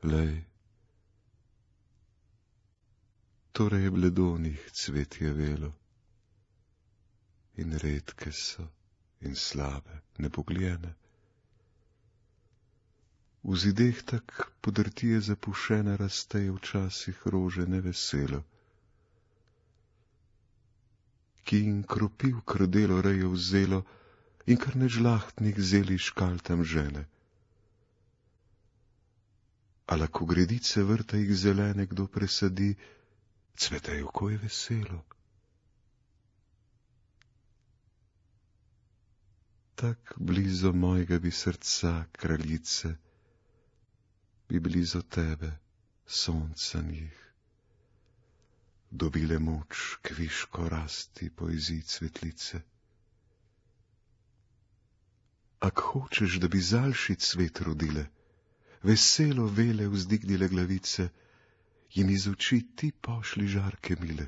Lej, torej bledonih cvet je velo, in redke so, in slabe, nepogljene. V zideh tak podrtije zapušene rastejo včasih rože neveselo, ki jim kropiv krdelo rejo vzelo in kar nežlahtnih zeli škal tam žene. Ala ko gredice vrta jih zelene kdo presadi, cvetejo, ko je veselo. Tak blizu mojega bi srca, kraljice, bi blizu tebe, sonca njih, dobile moč kviško rasti poezij cvetlice. Ak hočeš, da bi zalši cvet rodile, veselo vele vzdignile glavice, jim iz oči ti pošli žarke mile.